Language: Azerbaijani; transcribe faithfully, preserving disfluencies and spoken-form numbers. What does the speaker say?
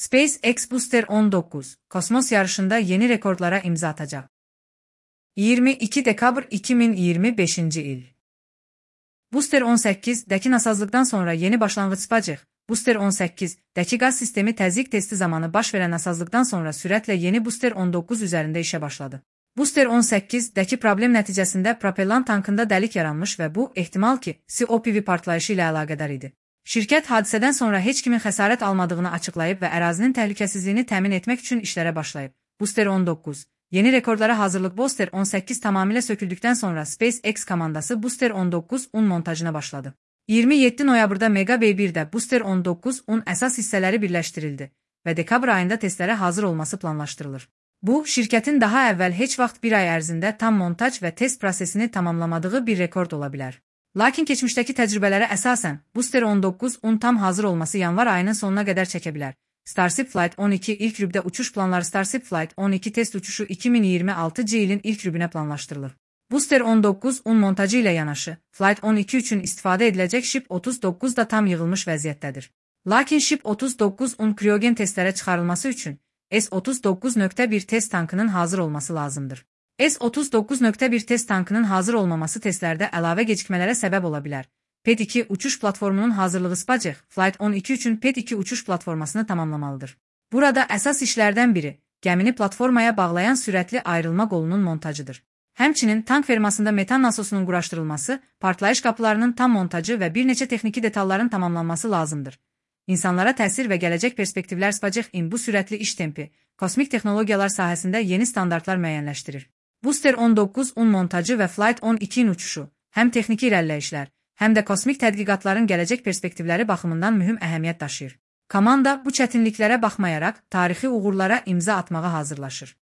SpaceX Booster on dokuz, kosmos yarışında yeni rekorlara imza atacak. iyirmi iki dekabr iki min iyirmi beşinci il. Booster on səkkiz'dəki nasazlıqdan sonra yeni başlanğıc SpaceX. Booster on səkkiz'dəki qaz sistemi təzyiq testi zamanı baş verən nasazlıqdan sonra sürətlə yeni Booster on dokuz üzərində işə başladı. Booster on səkkiz'dəki problem nəticəsində propellant tankında dəlik yaranmış və bu, ehtimal ki, C O P V partlayışı ilə əlaqədar idi. Şirkət hadisədən sonra heç kimin xəsarət almadığını açıqlayıb və ərazinin təhlükəsizliyini təmin etmək üçün işlərə başlayıb. Booster on dokuz. Yeni rekordlara hazırlıq. Booster on səkkiz tamamilə söküldükdən sonra SpaceX komandası Booster on dokuz'un montajına başladı. iyirmi yeddi noyabrda Mega Bay birdə Booster on dokuz'un əsas hissələri birləşdirildi və dekabr ayında testlərə hazır olması planlaşdırılır. Bu, şirkətin daha əvvəl heç vaxt bir ay ərzində tam montaj və test prosesini tamamlamadığı bir rekord ola bilər. Lakin keçmişdəki təcrübələrə əsasən, Booster on dokuz'un tam hazır olması yanvar ayının sonuna qədər çəkə bilər. Starship Flight on iki ilk rübdə uçuş planları. Starship Flight on iki test uçuşu iki min iyirmi altıncı ilin ilk rübünə planlaşdırılır. Booster on dokuz'un montajı ilə yanaşı, Flight on iki üçün istifadə ediləcək Ship otuz doqquz da tam yığılmış vəziyyətdədir. Lakin Ship otuz doqquz'un kriogen testlərə çıxarılması üçün S otuz doqquz nöqtə bir test tankının hazır olması lazımdır. S otuz doqquz nöqtə bir test tankının hazır olmaması testlərdə əlavə gecikmələrə səbəb ola bilər. P E T iki uçuş platformunun hazırlığı. SpaceX Flight on iki üçün P E T iki uçuş platformasını tamamlamalıdır. Burada əsas işlərdən biri, gəmini platformaya bağlayan sürətli ayrılma qolunun montajıdır. Həmçinin tank fermasında metan nasosunun quraşdırılması, partlayış qapılarının tam montajı və bir neçə texniki detalların tamamlanması lazımdır. İnsanlara təsir və gələcək perspektivlər. SpaceX-in bu sürətli iş tempi, kosmik texnologiyalar sahəsində yeni standartlar müəyyənləşdirir. Booster on dokuz'un montajı və Flight on iki'nin uçuşu, həm texniki irəliləyişlər, həm də kosmik tədqiqatların gələcək perspektivləri baxımından mühüm əhəmiyyət daşıyır. Komanda bu çətinliklərə baxmayaraq tarixi uğurlara imza atmağa hazırlaşır.